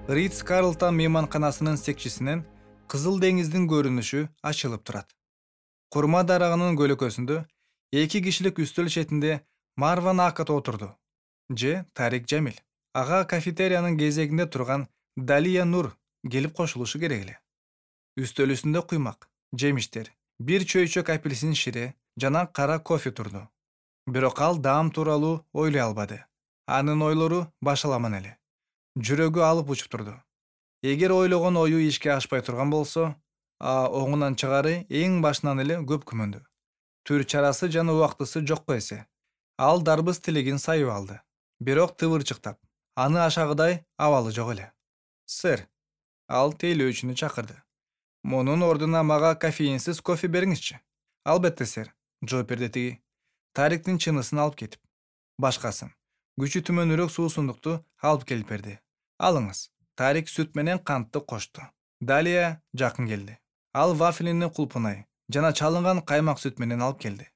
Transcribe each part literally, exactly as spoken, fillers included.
Ридс Карлтон мейманканасынын секчисинен Кызыл деңиздин көрүнүшү ачылып турат. Курма дарагынын көлөкөсүндө эки кишилик үстөл четинде Марван Акат отурду. Же Тарик Жамил. Ага кафетериянын кезегинде турган Далия Нур келип кошулушу керек эле. Үстөл үстүндө куймак, жемиштер, бир чөйчөк апельсин шире жана кара кофе турду. Бирок ал даам тууралуу ойлой албады. Анын ойлору башаламан эле. Жүрөгү алып учуп турду. Эгер ойлогон ою ишке ашпай турган болсо, а оңунан чыгары эң башынан эле көп күмөндү. Түр чарасы жана убактысы жокко эсе. Ал дарбыз тилегин сайып алды. Бирок тыбырчыктап, аны ашагыдай абалы жок эле. Сэр, ал тейлөөчүнү чакырды. Мунун ордуна мага кофеинсиз кофе бериңизчи. Албетте, сэр, жооп берди тиги. Тариктин чынысын алып кетип. Башкасын, күчү түмөнүрөөк суусундукту алып келип берди. Алыңыз. Тарик сүт менен кантты кошту. Далия жакын келди. Ал вафлини кулпунай жана чалынган каймак сүт менен алып келди.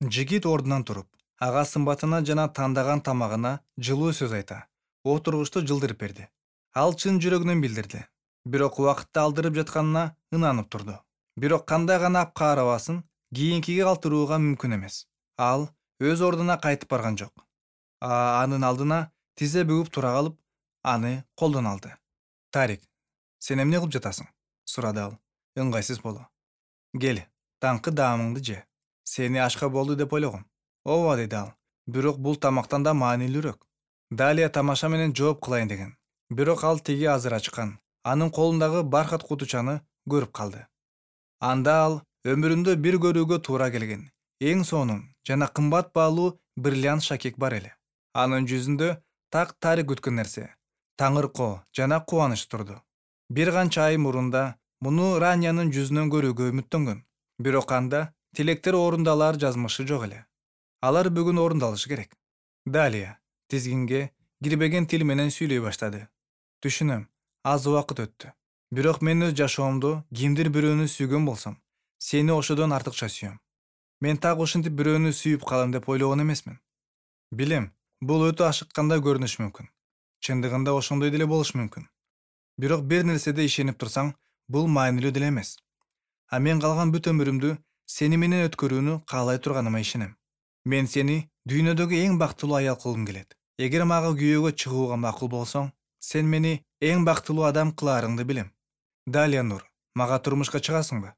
Жигит ордунан туруп, ага сымбатына жана тандаган тамагына жылуу сөз айта, отургучту жылдырып берди. Ал чын жүрөгүнөн билдирди. Бирок убакытты алдырып жатканына ынанып турду. Бирок кандай гана апкаарабасын кийинкиге калтырууга мүмкүн эмес. Ал өз ордуна кайтып барган жок. А анын алдына тизе бүгүп тура калып, аны колдон алды. Тарик, сен эмне кылып жатасың? Сурады ал, ыңгайсыз боло. Кел, таңкы даамыңды же. Сени ашка болду деп ойлогом. Ооба, деди ал. Бирок бул тамактан да маанилүүрөөк. Далия тамаша менен жооп кылайын деген. Бирок ал тиги азыр ачкан. Анын колундагы бархат кутучаны көрүп калды. Анда ал өмүрүндө бир көрүүгө туура келген эң сонун жана кымбат баалуу бриллиант шакек бар эле. Анын жүзүндө так Тарик күткөн нерсе, таңыркоо жана кубаныч турду. Бир канча ай мурунда муну Ранянын жүзүнөн көрүүгө үмүттөнгөн. Бирок анда тилектер орундалар жазмышы жок эле. Алар бүгүн орундалышы керек. Далия тизгинге кирбеген тил менен сүйлөй баштады. Түшүнөм, аз убакыт өттү. Бирок мен өз жашоомдо кимдир бирөөнү сүйгөн болсом, сени ошодон артыкча сүйөм. Мен так ушинтип бирөөнү сүйүп калам деп ойлогон эмесмин. Билем, бул өтө ашыккандай көрүнүшү мүмкүн. Чындыгында ошондой деле болушу мүмкүн. Бирок бир нерседе ишенип турсаң, бул маанилүү деле эмес. А мен калган бүт өмүрүмдү сени менен өткөрүүнү каалай турганыма ишенем. Мен сени дүйнөдөгү эң бактылуу аял кылгым келет. Эгер мага күйөөгө чыгууга макул болсоң, сен мени эң бактылуу адам кылаарыңды билем. Далия Нур, мага турмушка чыгасыңбы?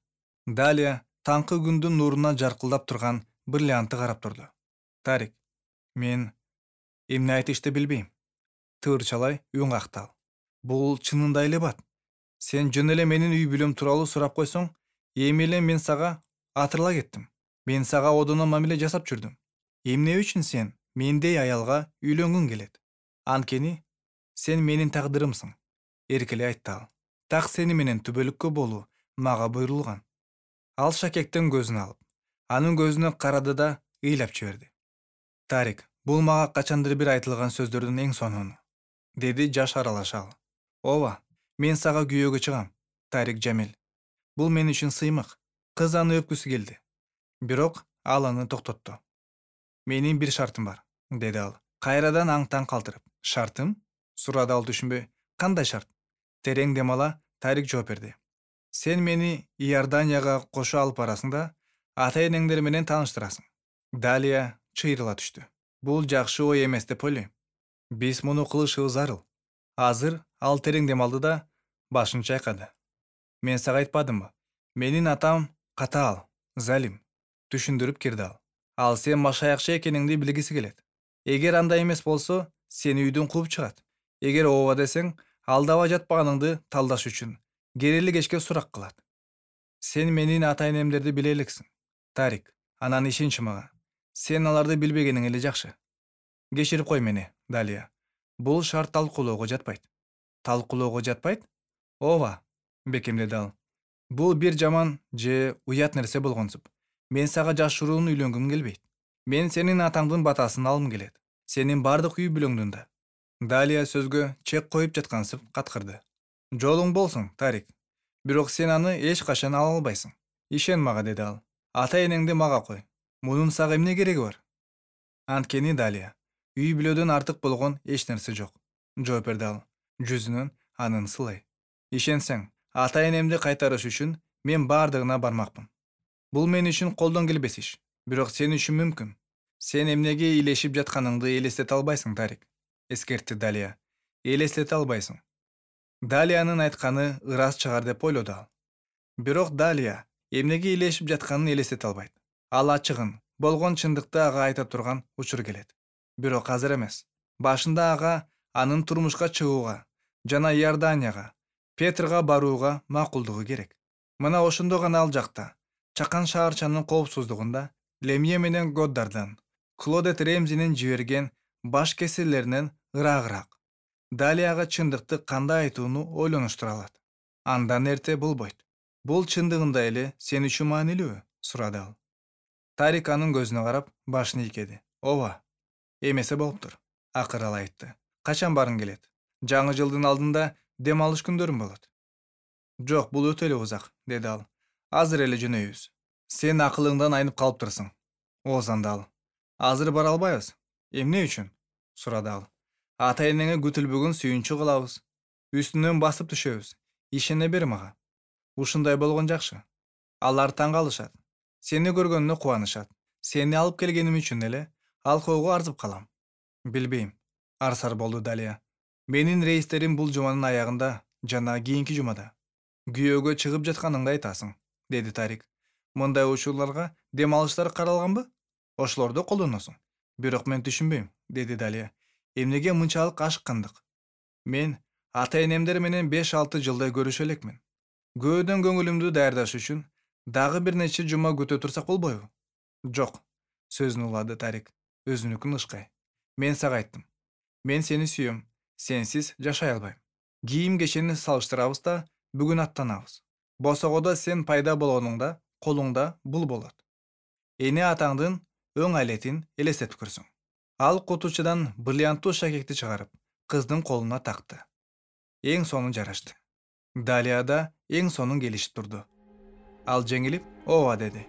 Далия таңкы күндүн нуруна жаркылдап турган бриллиантты карап турду. Тарик, мен эмне айтышты билбейм. Тыырчалай үн какты ал. Бул чынында эле бат. Сен жөн эле менин үй бүлөм тууралуу сурап койсоң, эми эле мен сага атырыла кеттим. Мен сага одоно мамиле жасап жүрдүм. Эмне үчүн сен мендей аялга үйлөнгүң келет? Анткени сен менин тагдырымсың. Эркелей айтты ал. Так сени менен түбөлүккө болуу мага буйрулган. Ал шакектен көзүн алып, анын көзүнө карады да ыйлап жиберди. Тарик, бул мага качандыр бир айтылган сөздөрдүн эң сонуну, деди жаш аралаша ал. Ооба, мен сага күйөөгө чыгам, Тарик Жамил. Бул мен үчүн сыймык. Кыз аны өпкүсү келди. Бирок ал аны токтотту. Менин бир шартым бар, деди ал, кайрадан аң-таң калтырып. Шартым? Сурады ал түшүнбөй. Кандай шарт? Терең дем ала Тарик жооп берди. Сен мени Иорданияга кошо алып барасың да, ата-энеңдер менен тааныштырасың. Далия чыйрыла түштү. Бул жакшы ой эмес деп ойлойм. Биз муну кылышыбыз зарыл. Азыр ал терең дем алды да башын чайкады. Мен сага айтпадымбы? Менин атам катаал, залим. Түшүндүрүп кирди ал. Ал сен машаякчы экениңди билгиси келет. Эгер андай эмес болсо, сени үйдөн кууп чыгат. Эгер ооба десең, алдабай жатпаганыңды талдаш үчүн керели кечке сурак кылат. Сен менин ата-энемдерди биле элексиң. Тарик, анан ишенчи мага. Сен аларды билбегениң эле жакшы. Кечирип кой мени, Далия. Бул шарт талкуулоого жатпайт. Талкуулоого жатпайт? Ооба, бекемдеди ал. Бул бир жаман же уят нерсе болгонсуп. Мен сага жашыруун үйлөнгүм келбейт. Мен сенин атаңдын батасын алгым келет. Сенин бардык үй бүлөңдүн да. Далия сөзгө чек коюп жаткансып каткырды. Жолуң болсун, Тарик. Бирок сен аны эч качан ала албайсың. Ишен мага, деди ал. Ата-энеңди мага кой. Мунун сага эмне кереги бар? Анткени, Далия, үй бүлөдөн артык болгон эч нерсе жок, жооп берди ал. Жүзүнөн анын сылай. Ишенсең, ата энемди кайтарыш үчүн мен бардыгына бармакмын. Бул мен үчүн колдон келбес иш, бирок сен үчүн мүмкүн. Сен эмнеге ийлешип жатканыңды элестете албайсың, Тарик, эскертти Далия. Элестете албайсың. Далиянын айтканы ырас чыгар деп ойлоду ал. Бирок Далия эмнеге ийлешип жатканын элестете албайт. Ал ачыгын, болгон чындыкты ага айта турган учур келет. Бирок азыр эмес. Башында ага анын турмушка чыгууга жана Иорданияга, Петрга барууга макулдугу керек. Мына ошондо гана ал жакта, чакан шаарчанын коопсуздугунда Лемье менен Годдардан, Клодет Ремзинин жиберген баш кесирлеринен ыраагыраак Далияга чындыкты кандай айтууну ойлонуштура алат. Андан эрте болбойт. Бул чындыгында эле сен үчүн маанилүүбү? Сурады ал. Тарик анын көзүнө карап, башын ийкеди. Ооба. Эмесе болуптур. Акыры ал айтты. Качан барың келет? Жаңы жылдын алдында дем алыш күндөрүм болот. Жок, бул өтө эле узак, деди ал. Азыр эле жөнөйбүз. Сен акылыңдан айнып калыптырсың. Оозанды ал. Азыр бара албайбыз. Эмне үчүн? Сурады ал. Ата энеңе күтүлбөгөн сүйүнчү кылабыз. Үстүнөн басып түшөбүз. Ишене бер мага. Ушундай болгон жакшы. Алар таң калышат. Сени көргөнүнө кубанышат. Сени алып келгеним үчүн эле алкоого арзып калам. Билбейм. Арсар болду Далия. Менин рейстерим бул жуманын аягында жана кийинки жумада. Күйөөгө чыгып жатканыңды айтасың, деди Тарик. Мындай учурларга дем алыштар каралганбы? Ошолорду колдоносуң. Бирок мен түшүнбөйм, деди Далия. Эмнеге мынчалык ашыккандык? Мен ата энемдер менен беш алты жылдай көрүшө элекмин. Көөдөн көңүлүмдү даярдаш үчүн дагы бир нече жума күтө турсак болбойбу? Жок, сөзүн улады Тарик, өзүнүкүн ышкай. Мен сага айттым. Мен сени сүйөм, сенсиз жашай албайм. Кийим кечени салыштырабыз да бүгүн аттанабыз. Босогодо сен пайда болгонуңда колуңда бул болот. Эне атаңдын өң алетин элестетип көрсөң. Ал кутучудан бриллианттуу шакекти чыгарып, кыздын колуна такты. Эң сонун жарашты. Далияда эң сонун келишип турду. Ал жеңилип, ооба деди.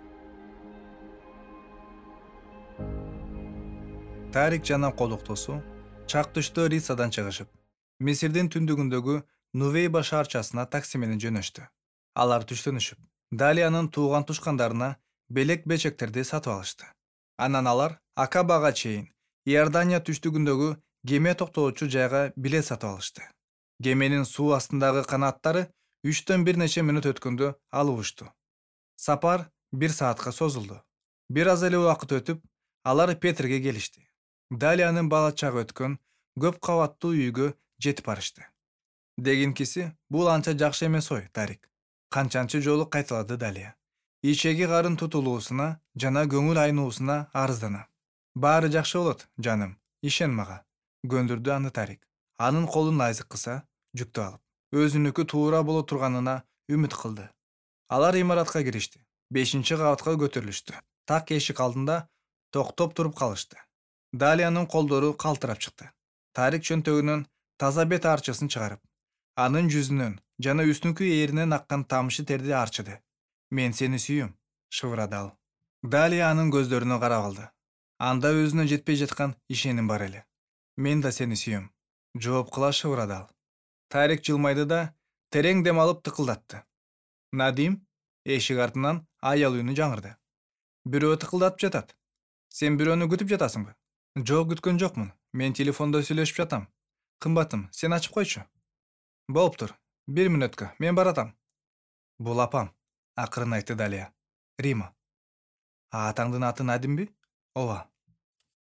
Тарик жана колуктуусу чак түштө Рицадан чыгышып, Мисирдин түндүгүндөгү Нувейба шаарчасына такси менен жөнөштү. Алар түштөнүшүп, Далиянын тууган тушкандарына белек бечектерди сатып алышты. Анан алар Акабага чейин Иордания түштүгүндөгү кеме токтоочу жайга билет сатып алышты. Кеменин суу астындагы канаттары үчтөн бир нече мүнөт өткөндө алып учту. Сапар бир саатка созулду. Бир аз эле убакыт өтүп, алар Петрге келишти. Далиянын бала чагы өткөн көп кабаттуу үйгө жетип барышты. Дегенкиси, бул анча жакшы эмес ой, Тарик. Канчанчы жолу кайталады Далия. Ичеги карын тутулуусуна жана көңүл айнуусуна арызданам. Баары жакшы болот, жаным. Ишен мага. Көндүрдү аны Тарик. Анын колун айзык кыса, жүктү алып, өзүнүкү туура боло турганына үмүт кылды. Алар имаратка киришти. Бешинчи кабатка көтөрүлүштү. Так эшик алдында токтоп туруп калышты. Далиянын колдору калтырап чыкты. Тарик чөнтөгүнөн таза бет арчысын чыгарып, анын жүзүнөн жана үстүнкү ээринен аккан тамчы терди арчыды. Мен сени сүйөм, шыбырады ал. Далия анын көздөрүнө карап алды. Анда өзүнө жетпей жаткан ишеним бар эле. Мен да сени сүйөм, жооп кыла шыбырады ал. Тарик жылмайды да терең дем алып тыкылдатты. Надим, эшик артынан аял үнү жаңырды. Бирөө тыкылдатып жатат. Сен бирөөнү күтүп жатасыңбы? Жок, күткөн жокмун. Мен телефондо сүйлөшүп жатам. Кымбатым, сен ачып койчу. Болуптур. Бир мүнөткө, мен баратам. Бул апам, акырын айтты Далия. Рима. А атаңдын аты Надимби? Ооба.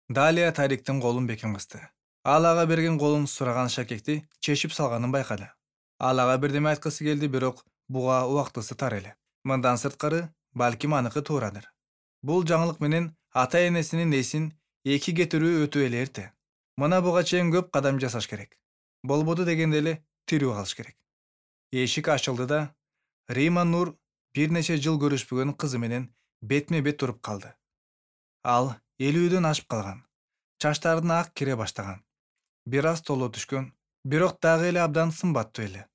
Далия Тариктин колун бекем кысты. Ал ага берген колун сураган шакекти чечип салганын байкады. Ал ага бирдеме айткысы келди, бирок буга убактысы тар эле. Мындан сырткары, балким аныкы туурадыр. Бул жаңылык менен ата энесинин эсин эки кетирүү өтө эле эрте. Мына буга чейин көп кадам жасаш керек. Болбоду дегенде эле тирүү калыш керек. Эшик ачылды да Рима Нур бир нече жыл көрүшпөгөн кызы менен бетме бет туруп калды. Ал элүүдөн ашып калган. Чачтарына ак кире баштаган. Бир аз толо түшкөн, бирок дагы эле абдан сымбаттуу эле.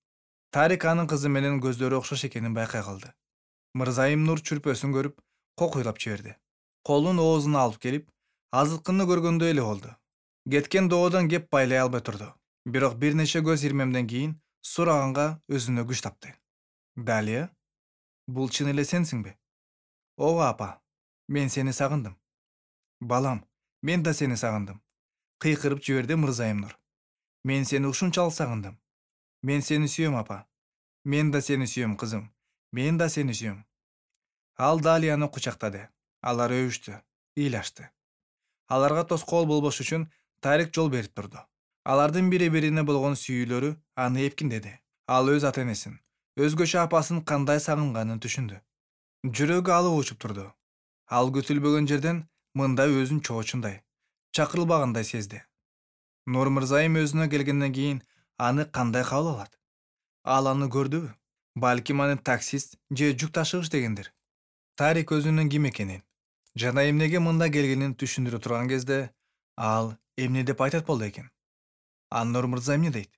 Тарик анын кызы менен көздөрү окшош экенин байкай калды. Мырзайым Нур чүрпөсүн көрүп, кокуйлап жиберди. Колун оозуна алып келип, азыткыны көргөндөй эле болду. Кеткен доодон кеп байлай албай турду. Бирок бир нече көз ирмемден кийин сураганга өзүнө күч тапты. Далия, бул чын эле сенсиңби? Ооба апа, мен сени сагындым. Балам, мен да сени сагындым. Кыйкырып жиберди Мырзайым Нур. Мен сени ушунчалык сагындым. Мен сени сүйөм апа. Мен да сени сүйөм кызым. Мен да сени сүйөм. Ал Далияны кучактады. Алар өбүштү, ыйлашты. Аларга тоскоол болбош үчүн Тарик жол берип турду. Алардын бири-бирине болгон сүйүүлөрү аны эпкиндеди. Ал өз ата-энесин, өзгөчө апасын кандай сагынганын түшүндү. Жүрөгү алып учуп турду. Ал күтүлбөгөн жерден мында өзүн чоочундай, чакырылбагандай сезди. Нур Мырзайым өзүнө келгенден кийин аны кандай кабыл алат? Ал аны көрдүбү? Балким аны таксист же жүк ташыгыч дегендир. Тарик өзүнүн ким экенин жана эмнеге мында келгенин түшүндүрө турган кезде ал эмне деп айтат болду экен? А Нур Мырза эмне дейт?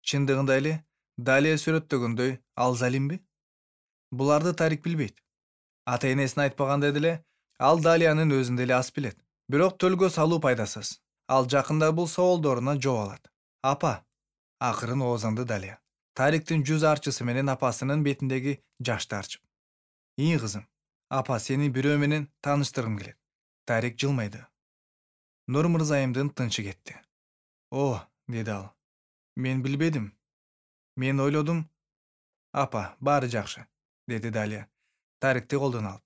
Чындыгында эле Далия сүрөттөгөндөй ал залимби? Буларды Тарик билбейт. Ата-энесине айтпаганда деле ал Далиянын өзүн деле аз билет. Бирок төлгө салуу пайдасыз. Ал жакында бул соолдоруна жооп алат. Апа, акырын оозанды Далия. Тариктин жүз арчысы менен апасынын бетиндеги жашты арчып. Ии кызым, апа сени бирөө менен тааныштыргым келет. Тарик жылмайды. Нур Мырзайымдын тынчы кетти. О, деди ал. Мен билбедим. Мен ойлодум. Апа, баары жакшы, деди Далия. Тарикти колдон алып.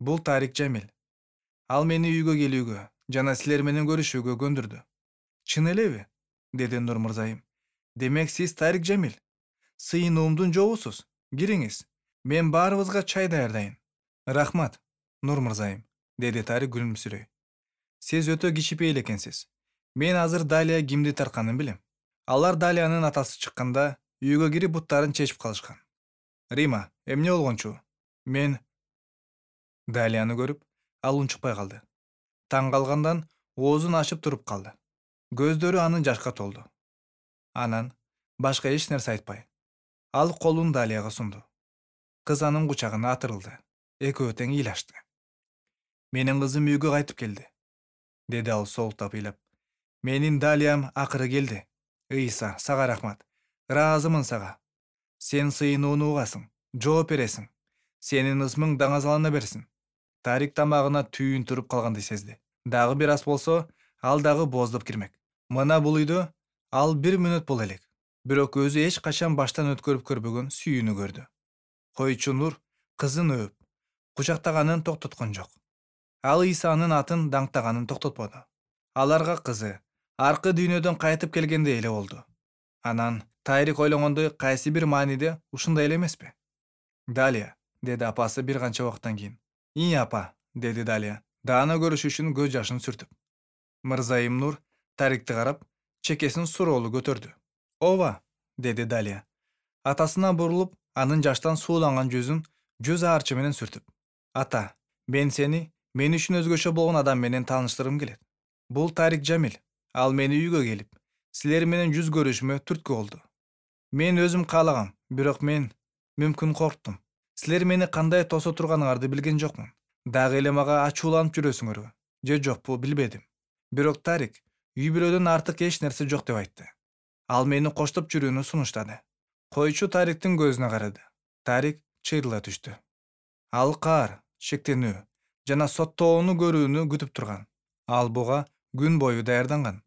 Бул Тарик Жамил. Ал мени үйгө келүүгө жана силер менен көрүшүүгө көндүрдү. Чын элеби? Деди Нур Мырзайым. Демек сиз Тарик Жамил. Сыйынуумдун жообусуз. Кириңиз. Мен баарыбызга чай даярдайын. Рахмат, Нур Мырзайым, деди Тарик күлүмсүрөй. Сиз өтө кичипейил экенсиз. Мен азыр Далия кимди тартканын билем. Алар Далиянын атасы чыкканда үйгө кирип буттарын чечип калышкан. Рима, эмне болгончу? Мен Далияны көрүп, ал унчукпай калды. Таң калгандан оозун ачып туруп калды. Көздөрү анын жашка толду. Анан башка эч нерсе айтпай, ал колун Далияга сунду. Кыз анын кучагына атырылды. Экөө тең ыйлашты. Менин кызым үйгө кайтып келди, деди ал соолуктап ыйлап. Менин Далиям акыры келди. Ыйса, сага рахмат. Ыраазымын сага. Сен сыйынууну угасың, жооп бересиң. Сенин ысмың даңазалана берсин. Тарик тамагына түйүн туруп калганды сезди. Дагы бир аз болсо, ал дагы бооздоп кирмек. Мына бул үйдө ал бир мүнөт боло элек. Бирок өзү эч качан баштан өткөрүп көрбөгөн сүйүүнү көрдү. Койчу Нур кызын өөп, кучактаганын токтоткон жок. Ал Ыйсанын атын даңктаганын токтотподу. Аларга кызы аркы дүйнөдөн кайтып келгендей эле болду. Анан Тарик ойлогондой кайсы бир мааниде ушундай эле эмеспи? Далия, деди апасы бир канча убакыттан кийин. Ии апа, деди Далия, даана көрүш үчүн көз жашын сүртүп. Мырзайым Нур Тарикти карап, чекесин суроолуу көтөрдү. Ооба, деди Далия. Атасына бурулуп, анын жаштан сууланган жүзүн жүз аарчы менен сүртүп. Ата, мен сени мен үчүн өзгөчө болгон адам менен тааныштыргым келет. Бул Тарик Жамил. Ал мени үйгө келип, силер менен жүз көрүшүмө түрткү болду. Мен өзүм каалагам, бирок мен мүмкүн корктум. Силер мени кандай тосо турганыңарды билген жокмун. Дагы эле мага ачууланып жүрөсүңөрбү? Же жокпу, билбедим. Бирок Тарик үй бүлөдөн артык эч нерсе жок деп айтты. Ал мени коштоп жүрүүнү сунуштады. Койчу Тариктин көзүнө карады. Тарик чыйрыла түштү. Ал каар, шектенүү жана соттоону көрүүнү күтүп турган. Ал буга күн бою даярданган.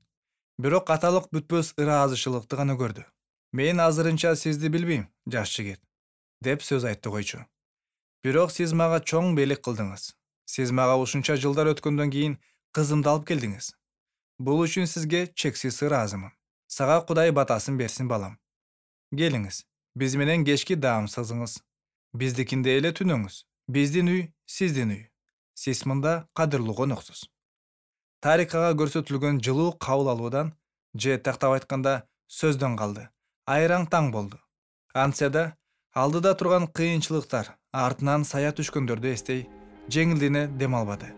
Бирок аталык бүтпөс ыраазычылыкты гана көрдү. Мен азырынча сизди билбейм, жаш жигит, деп сөз айтты койчу. Бирок сиз мага чоң белек кылдыңыз. Сиз мага ушунча жылдар өткөндөн кийин кызымды алып келдиңиз. Бул үчүн сизге чексиз ыраазымын. Сага Кудай батасын берсин, балам. Келиңиз, биз менен кечки даам сызыңыз. Биздикинде эле түнөңүз. Биздин үй, сиздин үй. Сиз мында кадырлуу коноксуз. Тарик ага көрсөтүлгөн жылуу кабыл алуудан, же тактап айтканда сөздөн калды. Айраң таң болду. Антсе да, алдыда турган кыйынчылыктар, артынан сая түшкөндөрдү эстей, жеңилдене дем албады.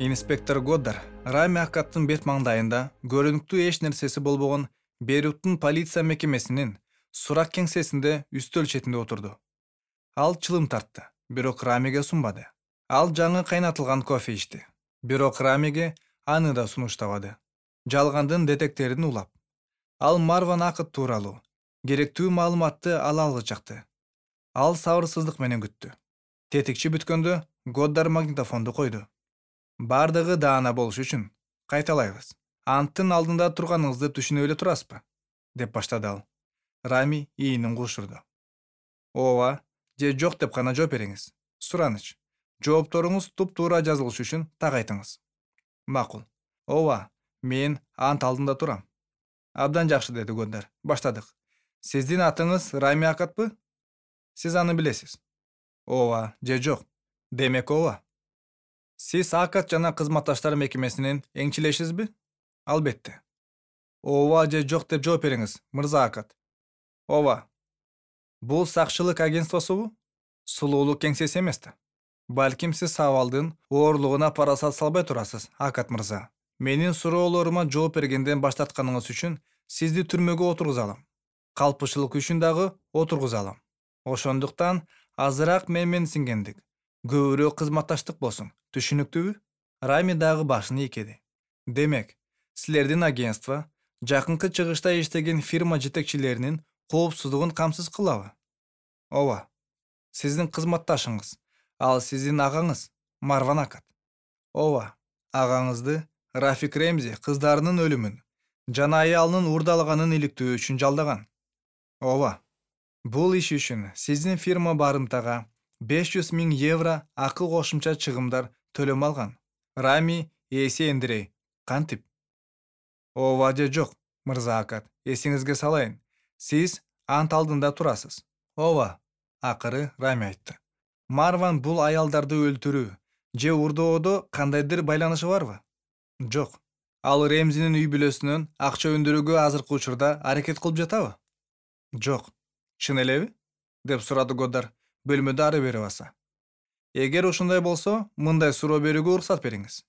Инспектор Годдар Рами Аккаттын бет маңдайында көрүнүктүү эч нерсеси болбогон Бейруттун полиция мекемесинин сурак кеңсесинде үстөл четинде отурду. Ал чылым тартты, бирок Рамиге сунбады. Ал жаңы кайнатылган кофе ичти. Бирок Рамиге аны да сунуштабады. Жалгандын детектерин улап, Ал Марван Акыт тууралуу керектүү маалыматты ала алгычакты. Ал сабырсыздык менен күттү. Тетикчи бүткөндө Годдар магнитофонду койду. Бардыгы даана болуш үчүн кайталайбыз. Анттын алдында турганыңызды түшүнүп эле турасызбы? Деп баштады ал. Рами ийинин куушурду. Ооба же жок деп гана жооп бериңиз. Сураныч. Жоопторуңуз туп-туура жазылыш үчүн так айтыңыз. Макул. Ооба, мен ант алдында турам. Абдан жакшы, деди Годдар. Баштадык. Сиздин атыңыз Рами Акатпы? Сиз аны билесиз. Ооба же жок? Демек ооба. Сиз Акат жана кызматташтар мекемесинин эңчилешисизби? Албетте. Ооба же жок деп жооп бериңиз, мырза Акат. Ооба. Бул сакчылык агентствосубу? Сулуулук кеңсеси эмес да. Балким сиз сабалдын оорлугуна парасат салбай турасыз, Акат мырза. Менин суроолорума жооп бергенден баш тартканыңыз үчүн сизди түрмөгө отургуза алам. Калпычылык үчүн дагы отургуза алам. Ошондуктан азыраак мен менен сиңгендик, көбүрөөк кызматташтык болсун. Түшүнүктүүбү? Рами дагы башын ийкеди. Демек, силердин агентство жакынкы чыгышта иштеген фирма жетекчилеринин коопсуздугун камсыз кылабы? Ооба. Сиздин кызматташыңыз, ал сиздин агаңыз, Марван Акат. Ооба. Агаңызды Рафик Ремзи кыздарынын өлүмүн жана аялынын уурдалаганын иликтөө үчүн жалдаган. Ооба. Бул иш үчүн сиздин фирма барымтага беш жүз миң евро акы кошумча чыгымдар төлөм алган. Рами эси эндирей. Кантип? Ооба же жок, мырза Акат. Эсиңизге салайын. Сиз ант алдында турасыз. Ооба. Акыры Рами айтты. Марван бул аялдарды өлтүрүү же уурдоодо кандайдыр байланышы барбы? Жок. Ал Ремзинин үй бүлөсүнөн акча өндүрүүгө азыркы учурда аракет кылып жатабы? Жок. Чын элеби? Деп сурады Годдар, бөлмөдө ары бери баса. Эгер ушундай болсо, мындай суроо берүүгө уруксат бериңиз.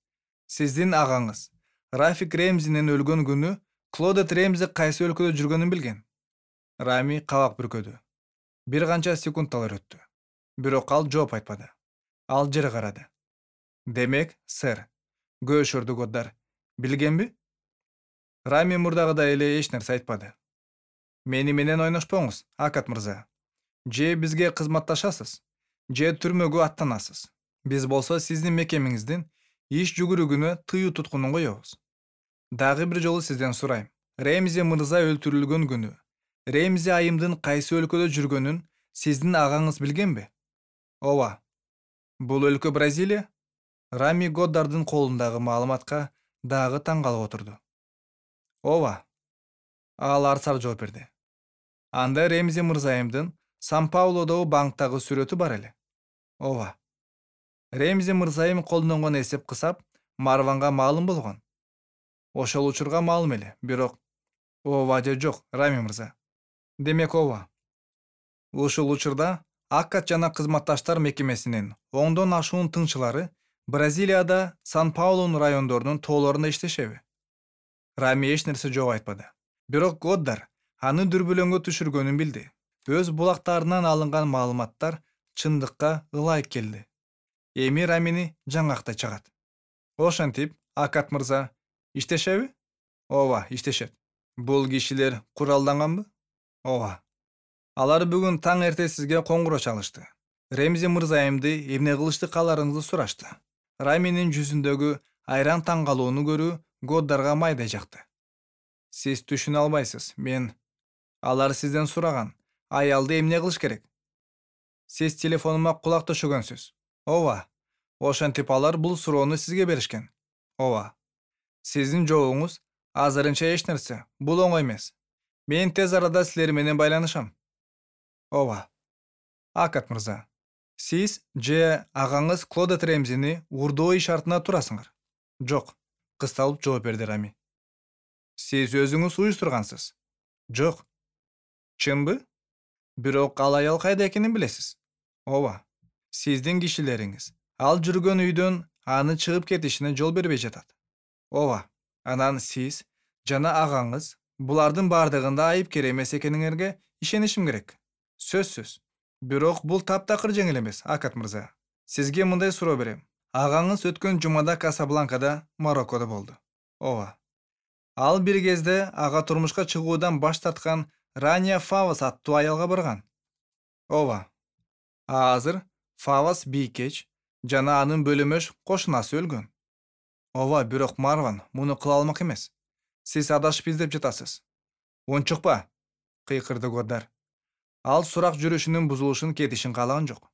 Сиздин агаңыз Рафик Ремзинин өлгөн күнү Клодет Ремзи кайсы өлкөдө жүргөнүн билген? Рами кабак бүркөдү. Бир канча секундталар өттү. Бирок ал жооп айтпады. Ал жер карады. Демек, сэр, көөшөрдү Годдар. Билгенби? Рами мурдагыдай эле эч нерсе айтпады. Мени менен ойношпоңуз, Акат мырза. Же бизге кызматташасыз, же түрмөгө аттанасыз. Биз болсо сиздин мекемеңиздин иш жүгүрүгүнө тыюу туткунун коебуз. Дагы бир жолу сизден сурайм. Ремзи мырза өлтүрүлгөн күнү Ремзи айымдын кайсы өлкөдө жүргөнүн сиздин агаңыз билгенби? Ооба. Бул өлкө Бразилия? Рами Годдардын колундагы маалыматка дагы таң калып отурду. Ооба. Ал арсар жооп берди. Анда Ремзи мырзайымдын Сан-Паулодогу банктагы сүрөтү бар эле. Ооба. Ремзи мырзайым колдонгон эсеп кысап Марванга маалым болгон. Ошол учурга маалым эле, бирок ооба же жок, Рами мырза. Демек ооба. Ушул учурда Акат жана кызматташтар мекемесинин оңдон ашуун тыңчылары Бразилияда Сан-Паулунун райондорунун тоолорунда иштешеби? Рами эч нерсе жооп айтпады. Бирок Годдар аны дүрбөлөңгө түшүргөнүн билди. Өз булактарынан алынган маалыматтар чындыкка ылайык келди. Эми Рамини жаңактай чыгат. Ошентип, Акат мырза, иштешеби? Ооба, иштешет. Бул кишилер куралданганбы? Ооба. Алар бүгүн таң эрте сизге коңгуроо чалышты. Ремзи мырзайымды эмне кылышты кааларыңызды сурашты. Раминин жүзүндөгү айран таң калууну көрүү Годдарга майдай жакты. Сиз түшүнө албайсыз, мен... Алар сизден сураган, аялды эмне кылыш керек? Сиз телефонума кулак төшөгөнсүз. Ооба. Ошентип алар бул суроону сизге беришкен. Ооба. Сиздин жообуңуз азырынча эч нерсе, бул оңой эмес. Мен тез арада силер менен байланышам. Ооба. Акат мырза, сиз же агаңыз Клодет Ремзини уурдоо иш артына турасыңар? Жок, кысталып жооп берди Рами. Сиз өзүңүз уюштургансыз? Жок. Чынбы? Бирок ал аял кайда экенин билесиз? Ооба. Сиздин кишилериңиз ал жүргөн үйдөн аны чыгып кетишине жол бербей жатат. Ооба. Анан сиз жана агаңыз булардын бардыгында айыпкер эмес экениңерге ишенишим керек. Сөзсүз. Бирок бул таптакыр жеңил эмес, Акат мырза. Сизге мындай суроо берем. Агаңыз өткөн жумада Касабланкада, Мароккодо болду. Ооба. Ал бир кезде ага турмушка чыгуудан баш тарткан Рания Фавас аттуу аялга барган. Ооба. А азыр Фавас бийкеч жана анын бөлөмөш кошунасы өлгөн. Ооба, бирок Марван муну кыла алмак эмес. Сиз адашып издеп жатасыз. Унчукпа, кыйкырды Годдар. Ал сурак жүрүшүнүн бузулушун кетишин каалаган жок.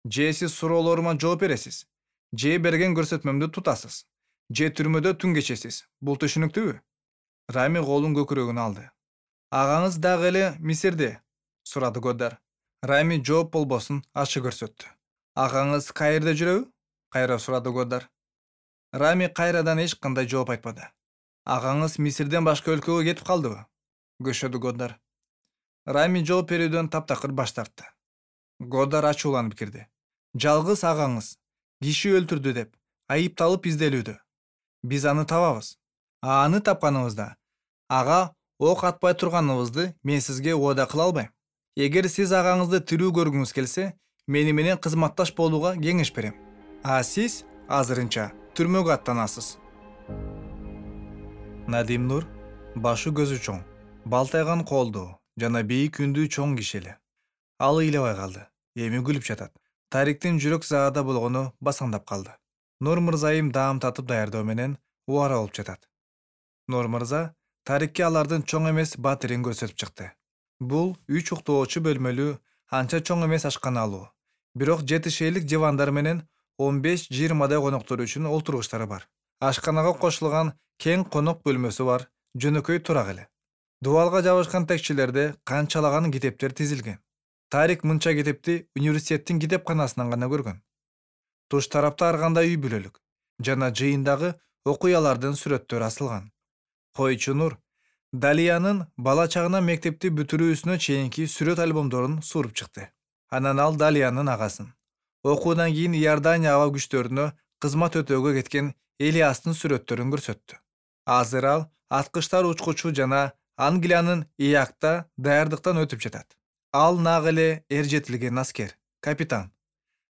Же сиз суроолорума жооп бересиз, же берген көрсөтмөмдү тутасыз, же түрмөдө түн кечесиз. Бул түшүнүктүүбү? Рами колун көкүрөгүнө алды. Агаңыз дагы эле Мисирде? Сурады Годдар. Рами жооп болбосун ачык көрсөттү. Агаңыз каерде жүрөбү? Кайра сурады Годдар. Рами кайрадан эч кандай жооп айтпады. Агаңыз Мисирден башка өлкөгө кетип калдыбы? Көшөдү Годдар. Рами жооп берүүдөн таптакыр баш тартты. Годдар ачууланып кирди. Жалгыз агаңыз киши өлтүрдү деп айыпталып изделүүдө. Биз аны табабыз. А аны тапканыбызда ага ок атпай турганыбызды мен сизге убада кыла албайм. Эгер сиз агаңызды тирүү көргүңүз келсе, мени менен кызматташ болууга кеңеш берем. А сиз азырынча түрмөгө аттанасыз. Надим Нур башы көзү чоң, балтайган колдуу жана бийик үндүү чоң киши эле. Ал ыйлабай калды. Эми күлүп жатат. Тариктин жүрөк заада болгону басаңдап калды. Нур мырзайым даам татып даярдоо менен убара болуп жатат. Нур мырза Тарикке алардын чоң эмес батирин көрсөтүп чыкты. Бул үч уктоочу бөлмөлүү, анча чоң эмес ашканалуу, бирок жети шейлик дивандар менен он беш жыйырмадай коноктор үчүн олтургучтары бар. Ашканага кошулган кең конок бөлмөсү бар, жөнөкөй турак эле. Дубалга жабышкан текчелерде канчалаган китептер тизилген. Тарик мынча китепти университеттин китепканасынан гана көргөн. Туш тарапта ар кандай үй бүлөлүк жана жыйындагы окуялардын сүрөттөрү асылган. Койчу Нур Далиянын бала чагынан мектепти бүтүрүүсүнө чейинки сүрөт альбомдорун суруп чыкты. Анан ал Далиянын агасын, окуудан кийин Иордания аба күчтөрүнө кызмат өтөөгө кеткен Элиастын сүрөттөрүн көрсөттү. Азыр ал аткычтар учкучу жана Англиянын Иакта даярдыктан өтүп жатат. Ал нак эле эр жетилген аскер, капитан.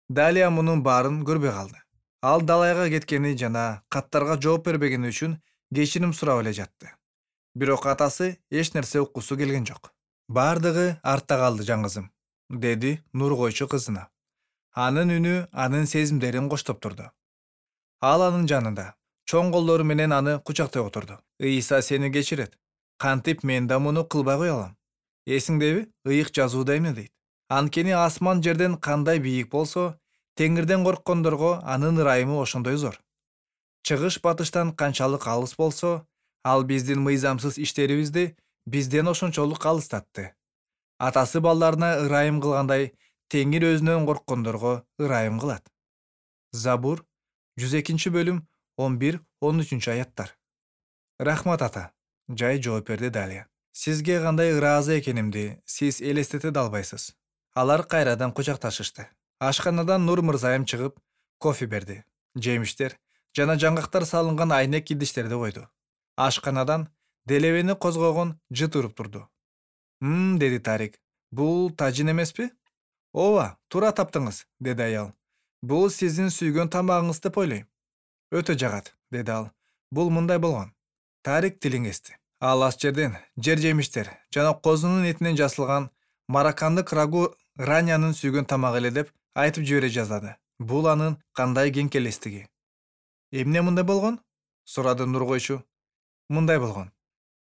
Далия мунун баарын көрбөй калды. Ал далайга кеткени жана каттарга жооп бербегени үчүн кечирим сурап эле жатты. Бирок атасы эч нерсе уккусу келген жок. Бардыгы артта калды жаңгызым, деди Нур койчу кызына. Анын үнү анын сезимдерин коштоп турду. Ал анын жанында, чоң колдору менен аны кучактай отурду. Ыйса сени кечирет. Кантип мен да муну кылбай кое алам. Эсиңдеби, ыйык жазууда эмне дейт? Анткени асман жерден кандай бийик болсо, теңирден корккондорго анын ырайымы ошондой зор. Чыгыш батыштан канчалык алыс болсо, ал биздин мыйзамсыз иштерибизди бизден ошончолук алыстатты. Атасы балдарына ырайым кылгандай, теңир өзүнөн корккондорго ырайым кылат. Забур жүз экинчи бөлүм он бир он үчүнчү аяттар. Рахмат ата, жай жооп берди Далия. Сизге кандай ыраазы экенимди сиз элестете да албайсыз. Алар кайрадан кучакташышты. Ашканадан Нур мырзайым чыгып, кофе берди. Жемиштер жана жаңгактар салынган айнек идиштерди койду. Ашканадан делебени козгогон жыт уруп турду. «Мм», деди Тарик. «Бул тажин эмеспи?» «Ооба, туура таптыңыз», деди аял. «Бул сиздин сүйгөн тамагыңыз деп ойлойм». «Өтө жагат», деди ал. «Бул мындай болгон». Тарик тилин кести. Ал аш жерден жер жемиштер жана козунун этинен жасалган мароккандык рагу Ранянын сүйгөн тамагы эле деп айтып жибере жаздады. Бул анын кандай кеңкелестиги. «Эмне мындай болгон?» сурады Нур койчу. «Мындай болгон.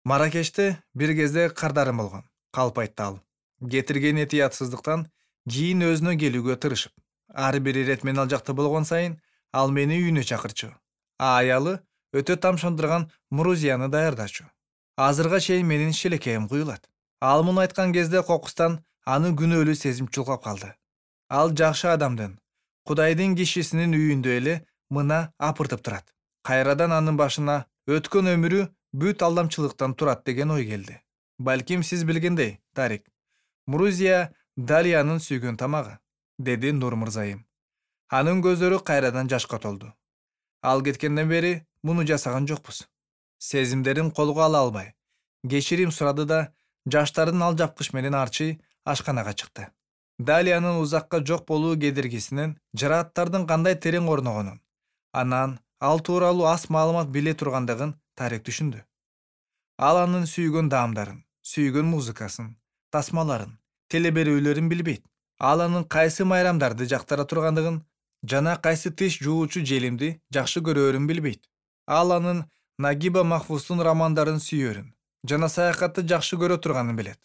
Маракеште бир кезде кардарым болгон», калп айтты ал. Кетирген этиятсыздыктан кийин өзүнө келүүгө тырышып. Ар бир ирет мен ал жакта болгон сайын ал мени үйүнө чакырчу. А аялы өтө тамшандырган мурузияны даярдачу. Азырга чейин менин шелекейим куюлат. Ал муну айткан кезде кокустан аны күнөөлүү сезим чулгап калды. Ал жакшы адамдын, Кудайдын кишисинин үйүндө эле мына апыртып турат. Кайрадан анын башына өткөн өмүрү бүт алдамчылыктан турат деген ой келди. Балким сиз билгендей, Тарик, Мурузия Далиянын сүйгөн тамагы, деди Нур мырзайым. Анын көздөрү кайрадан жашка толду. Ал кеткенден бери муну жасаган жокпуз. Сезимдерин колго ала албай, кечирим сурады да жаштарын ал жапкыч менен арчый ашканага чыкты. Далиянын узакка жок болуу кедергисинен жарааттардын кандай терең орногонун, анан ал тууралуу аз маалымат биле тургандыгын Тарик түшүндү. Ал анын сүйгөн даамдарын, сүйгөн музыкасын, тасмаларын, телеберүүлөрүн билбейт. Ал анын кайсы майрамдарды жактыра тургандыгын жана кайсы тиш жуучу желимди жакшы көрөөрүн билбейт. Ал анын Нагиба Махфуздун романдарын сүйөөрүн жана саякатты жакшы көрө турганын билет.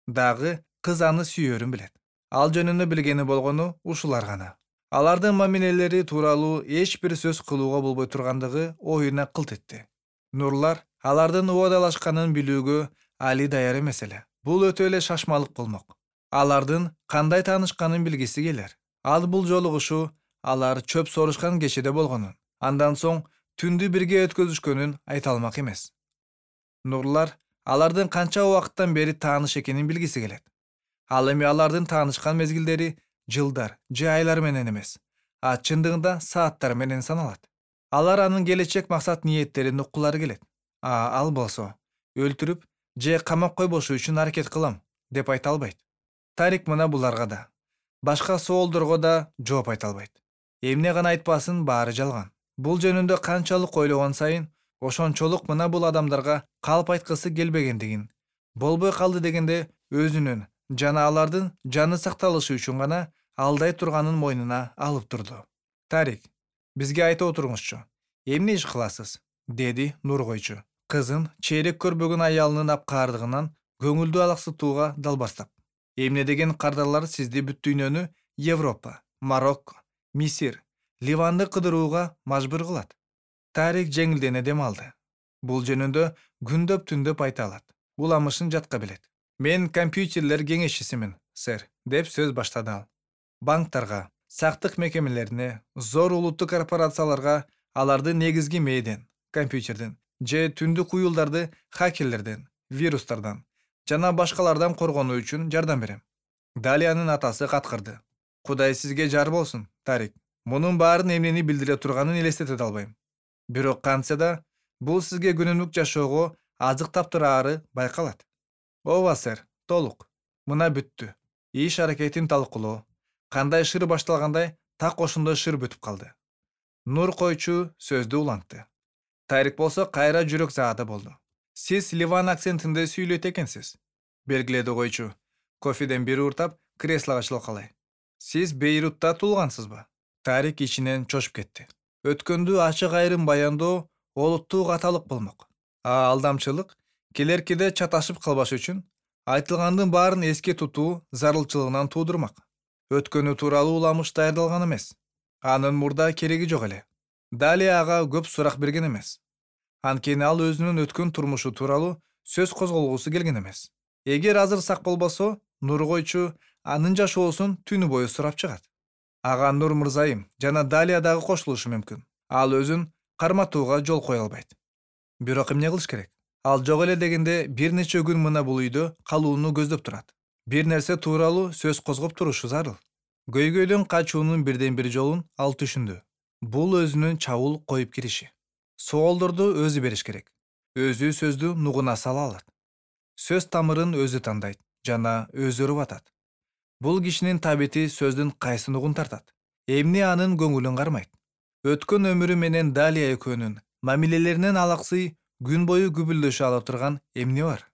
Дагы кыз аны сүйөөрүн билет. Ал жөнүндө билгени болгону ушулар гана. Алардын мамилелери тууралуу эч бир сөз кылууга болбой тургандыгы оюна кылт этти. Нурлар алардын убадалашканын билүүгө али даяр эмес эле. Бул өтө эле шашмалык болмок. Алардын кандай таанышканын билгиси келер. Ал бул жолугушуу алар чөп сорушкан кечеде болгонун, андан соң түндү бирге өткөзүшкөнүн айта алмак эмес. Нурлар алардын канча убакыттан бери тааныш экенин билгиси келет. Ал эми алардын таанышкан мезгилдери жылдар же айлар менен эмес, а чындыгында сааттар менен саналат. Алар анын келечек максат ниеттерин уккулары келет. А ал болсо өлтүрүп же камап койбошу үчүн аракет кылам деп айта албайт. Тарик мына буларга да, башка соолдорго да жооп айта албайт. Эмне гана айтпасын, баары жалган. Бул жөнүндө канчалык ойлогон сайын ошончолук мына бул адамдарга калп айткысы келбегендигин, болбой калды дегенде өзүнүн жана алардын жаны сакталышы үчүн гана алдай турганын мойнуна алып турду. Тарик, бизге айта отуруңузчу, эмне иш кыласыз? Деди Нургойчу, кызын чейрек көрбөгөн аялынын апкаардыгынан көңүлдүү алаксытууга далбастап. Эмне деген кардарлар сизди бүт дүйнөнү Европа, Марокко, Мисир, Ливанды кыдырууга мажбур кылат. Тарик жеңилдене дем алды. Бул жөнүндө күндөп түндөп айта алат. Уламышын жатка билет. Мен компьютерлер кеңешчисимин, сэр, деп сөз баштады ал. Банктарга, сактык мекемелерине, зор улуттук корпорацияларга алардын негизги мээден, компьютерден же түндүк уюлдарды хакерлерден, вирустардан жана башкалардан коргонуу үчүн жардам берем. Далиянын атасы каткырды. Кудай сизге жар болсун, Тарик. Мунун баарын эмнени билдире турганын элестете албайм. Бирок кантса да бул сизге күнүмдүк жашоого азык таптыраары байкалат. Ооба, сэр, толук. Мына бүттү. Иш аракетин талкуулоо. Кандай шыр башталгандай, так ошондой шыр бүтүп калды. Нур койчу сөздү улантты. Тарик болсо кайра жүрөк заада болду. Сиз Ливан акцентинде сүйлөйт экенсиз. Белгиледи койчу. Кофеден бир уртап, креслого чалкалай. Сиз Бейрутта туулгансызбы? Тарик ичинен чочуп кетти. Өткөндү ачык айрым баяндоо олуттуу каталык болмок. А алдамчылык келеркиде чаташып калбаш үчүн айтылгандын баарын эске тутуу зарылчылыгынан туудурмак. Өткөнү тууралуу уламыш даярдалган эмес. Анын мурда кереги жок эле. Далия ага көп сурак берген эмес. Анткени ал өзүнүн өткөн турмушу тууралуу сөз козголгусу келген эмес. Эгер азыр сак болбосо, Нургойчу анын жашоосун түнү бою сурап чыгат. Ага Нур мырзайым жана Далия дагы кошулушу мүмкүн. Ал өзүн карматууга жол кое албайт. Бирок эмне кылыш керек? Ал жок эле дегенде бир нече күн мына бул үйдө калууну көздөп турат. Бир нерсе тууралуу сөз козгоп турушу зарыл. Көйгөйдөн качуунун бирден бир жолун ал түшүндү. Бул өзүнүн чабуул коюп кириши. Соолдорду өзү бериш керек. Өзү сөздү нугуна сала алат. Сөз тамырын өзү тандайт жана өзү ырбатат. Бул кишинин табити сөздүн кайсы нугун тартат. Эмне анын көңүлүн кармайт. Өткөн өмүрү менен Далия экөөнүн мамилелеринен алаксый күн бою күбүлдөшө ала турган эмне бар?